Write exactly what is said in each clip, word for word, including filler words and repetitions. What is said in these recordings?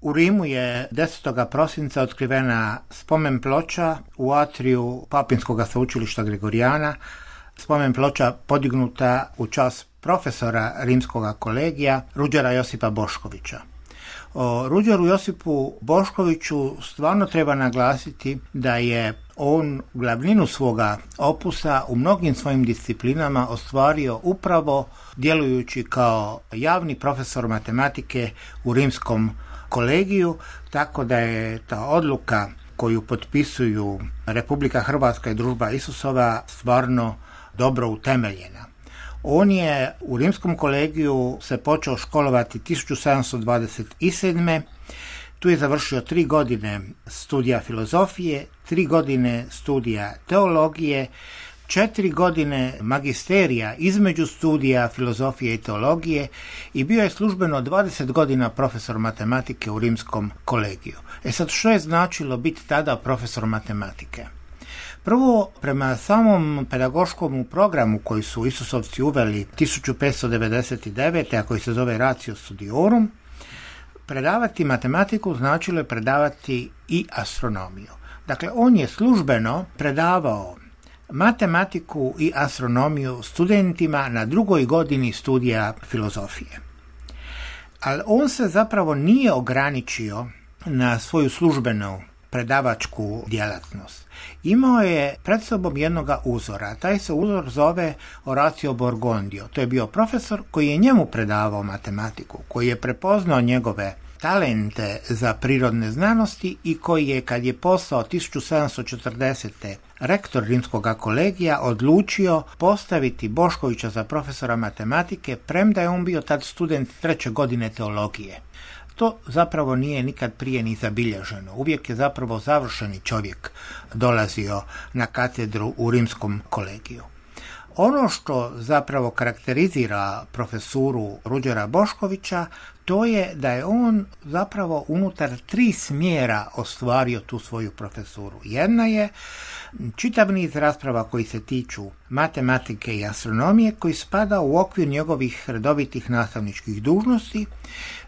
U Rimu je desetog prosinca otkrivena spomen ploča u atriju Papinskog sveučilišta Gregorijana, spomen ploča podignuta u čast profesora rimskog kolegija Ruđera Josipa Boškovića. O Ruđeru Josipu Boškoviću stvarno treba naglasiti da je on glavninu svoga opusa u mnogim svojim disciplinama ostvario upravo djelujući kao javni profesor matematike u rimskom kolegiju, tako da je ta odluka koju potpisuju Republika Hrvatska i Družba Isusova stvarno dobro utemeljena. On je u rimskom kolegiju se počeo školovati tisuću sedamsto dvadeset sedme. Tu je završio tri godine studija filozofije, tri godine studija teologije, četiri godine magisterija između studija filozofije i teologije i bio je službeno dvadeset godina profesor matematike u rimskom kolegiju. E sad, što je značilo biti tada profesor matematike? Prvo, prema samom pedagoškom programu koji su Isusovci uveli tisuću petsto devedeset devete. a koji se zove Ratio Studiorum, predavati matematiku značilo je predavati i astronomiju. Dakle, on je službeno predavao matematiku i astronomiju studentima na drugoj godini studija filozofije. Ali on se zapravo nije ograničio na svoju službenu predavačku djelatnost. Imao je pred sobom jednoga uzora. Taj se uzor zove Orazio Borgondio. To je bio profesor koji je njemu predavao matematiku, koji je prepoznao njegove talente za prirodne znanosti i koji je, kad je postao tisuću sedamsto četrdesete. rektor rimskog kolegija, odlučio postaviti Boškovića za profesora matematike, premda je on bio tad student treće godine teologije. To zapravo nije nikad prije ni zabilježeno. Uvijek je zapravo završeni čovjek dolazio na katedru u rimskom kolegiju. Ono što zapravo karakterizira profesuru Ruđera Boškovića, to je da je on zapravo unutar tri smjera ostvario tu svoju profesuru. Jedna je čitav niz rasprava koji se tiču matematike i astronomije, koji spada u okvir njegovih redovitih nastavničkih dužnosti.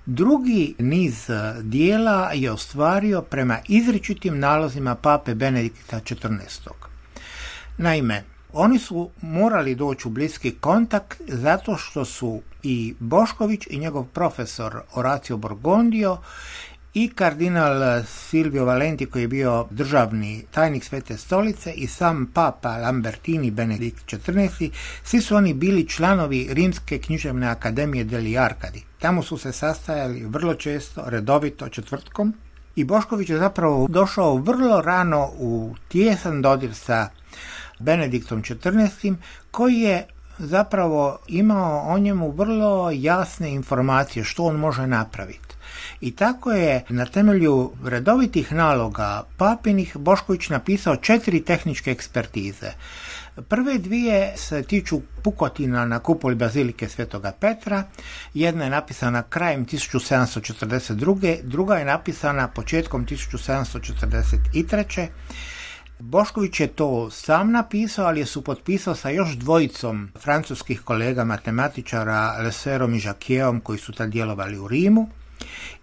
Drugi niz dijela je ostvario prema izričitim nalozima pape Benedikta četrnaestog. Naime, oni su morali doći u bliski kontakt zato što su i Bošković i njegov profesor Orazio Borgondio i kardinal Silvio Valenti, koji je bio državni tajnik Svete stolice, i sam papa Lambertini Benedikt četrnaesti. Svi su oni bili članovi Rimske književne akademije degli Arcadi. Tamo su se sastajali vrlo često, redovito, četvrtkom. I Bošković je zapravo došao vrlo rano u tijesan dodir sa Benediktom četrnaestim. koji je zapravo imao o njemu vrlo jasne informacije što on može napraviti. I tako je na temelju redovitih naloga papinih Bošković napisao četiri tehničke ekspertize. Prve dvije se tiču pukotina na kupoli bazilike Svetoga Petra, jedna je napisana krajem tisuću sedamsto četrdeset druge. druga je napisana početkom tisuću sedamsto četrdeset treće. Bošković je to sam napisao, ali je supotpisao sa još dvojicom francuskih kolega matematičara, Leserom i Jacquietom, koji su tad djelovali u Rimu.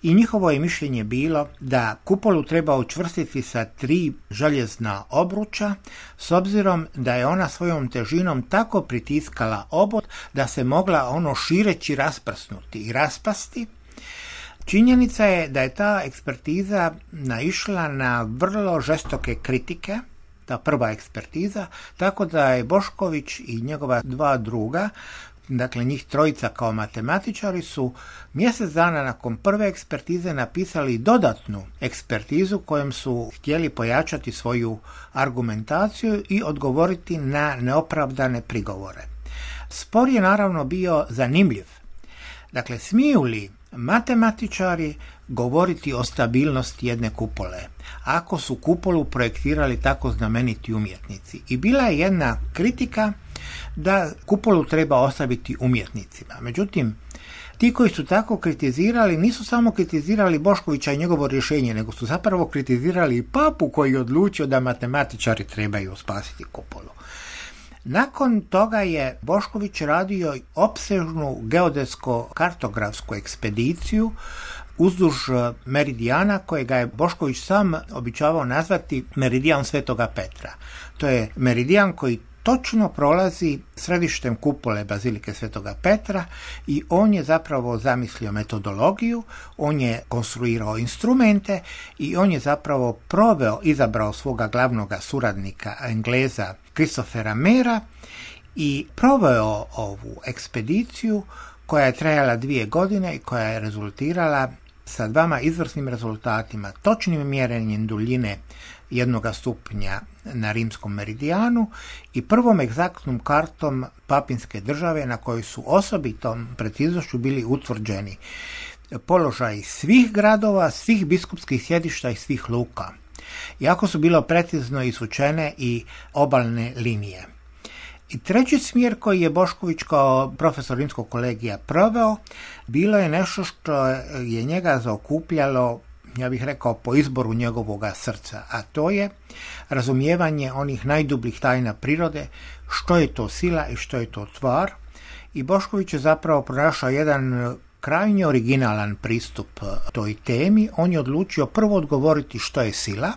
I njihovo je mišljenje bilo da kupolu treba učvrstiti sa tri željezna obruča, s obzirom da je ona svojom težinom tako pritiskala obod da se mogla ono šireći rasprsnuti i raspasti. Činjenica je da je ta ekspertiza naišla na vrlo žestoke kritike, ta prva ekspertiza, tako da je Bošković i njegova dva druga, dakle njih trojica kao matematičari, su mjesec dana nakon prve ekspertize napisali dodatnu ekspertizu kojom su htjeli pojačati svoju argumentaciju i odgovoriti na neopravdane prigovore. Spor je naravno bio zanimljiv. Dakle, smiju li matematičari govoriti o stabilnosti jedne kupole ako su kupolu projektirali tako znameniti umjetnici? I bila je jedna kritika da kupolu treba ostaviti umjetnicima. Međutim, ti koji su tako kritizirali nisu samo kritizirali Boškovića i njegovo rješenje, nego su zapravo kritizirali i papu koji je odlučio da matematičari trebaju spasiti kupolu. Nakon toga je Bošković radio opsežnu geodetsko-kartografsku ekspediciju uzduž meridijana kojega je Bošković sam običavao nazvati meridijan Svetoga Petra. To je meridijan koji točno prolazi središtem kupole Bazilike Svetoga Petra i on je zapravo zamislio metodologiju, on je konstruirao instrumente i on je zapravo proveo, izabrao svoga glavnog suradnika Engleza Christophera Mayera i proveo ovu ekspediciju koja je trajala dvije godine i koja je rezultirala sa dvama izvrsnim rezultatima, točnim mjerenjem duljine jednoga stupnja na rimskom meridijanu i prvom egzaktnom kartom Papinske države na kojoj su osobitom preciznošću bili utvrđeni položaj svih gradova, svih biskupskih sjedišta i svih luka. Jako su bilo precizno isvučene i obalne linije. I treći smjer koji je Bošković kao profesor rimskog kolegija proveo, bilo je nešto što je njega zaokupljalo, ja bih rekao, po izboru njegovoga srca, a to je razumijevanje onih najdubljih tajna prirode, što je to sila i što je to tvar. I Bošković je zapravo pronašao jedan krajnje originalan pristup toj temi. On je odlučio prvo odgovoriti što je sila,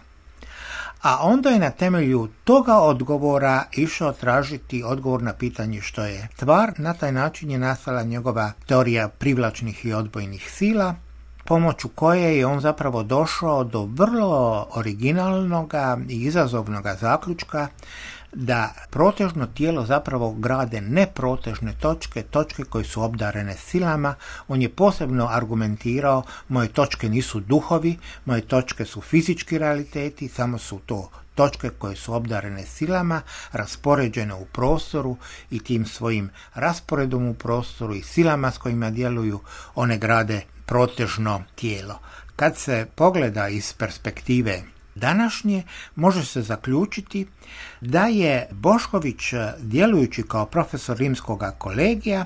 a onda je na temelju toga odgovora išao tražiti odgovor na pitanje što je tvar. Na taj način je nastala njegova teorija privlačnih i odbojnih sila, pomoću koje je on zapravo došao do vrlo originalnog i izazovnog zaključka da protežno tijelo zapravo grade neprotežne točke, točke koje su obdarene silama. On je posebno argumentirao, moje točke nisu duhovi, moje točke su fizički realiteti, samo su to točke koje su obdarene silama, raspoređene u prostoru i tim svojim rasporedom u prostoru i silama s kojima djeluju, one grade protežno tijelo. Kad se pogleda iz perspektive današnje, može se zaključiti da je Bošković, djelujući kao profesor rimskog kolegija,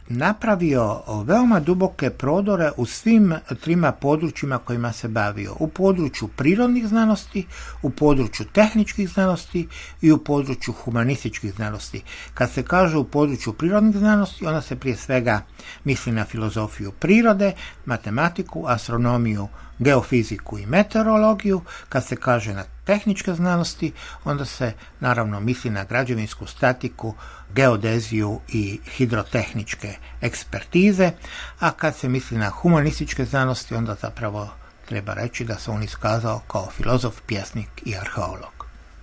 napravio veoma duboke prodore u svim trima područjima kojima se bavio. U području prirodnih znanosti, u području tehničkih znanosti i u području humanističkih znanosti. Kad se kaže u području prirodnih znanosti, onda se prije svega misli na filozofiju prirode, matematiku, astronomiju, geofiziku i meteorologiju. Kad se kaže na tehničke znanosti, onda se naravno misli na građevinsku statiku, geodeziju i hidrotehničke ekspertize, a kad se misli na humanističke znanosti, onda zapravo treba reći da se on iskazao kao filozof, pjesnik i arheolog.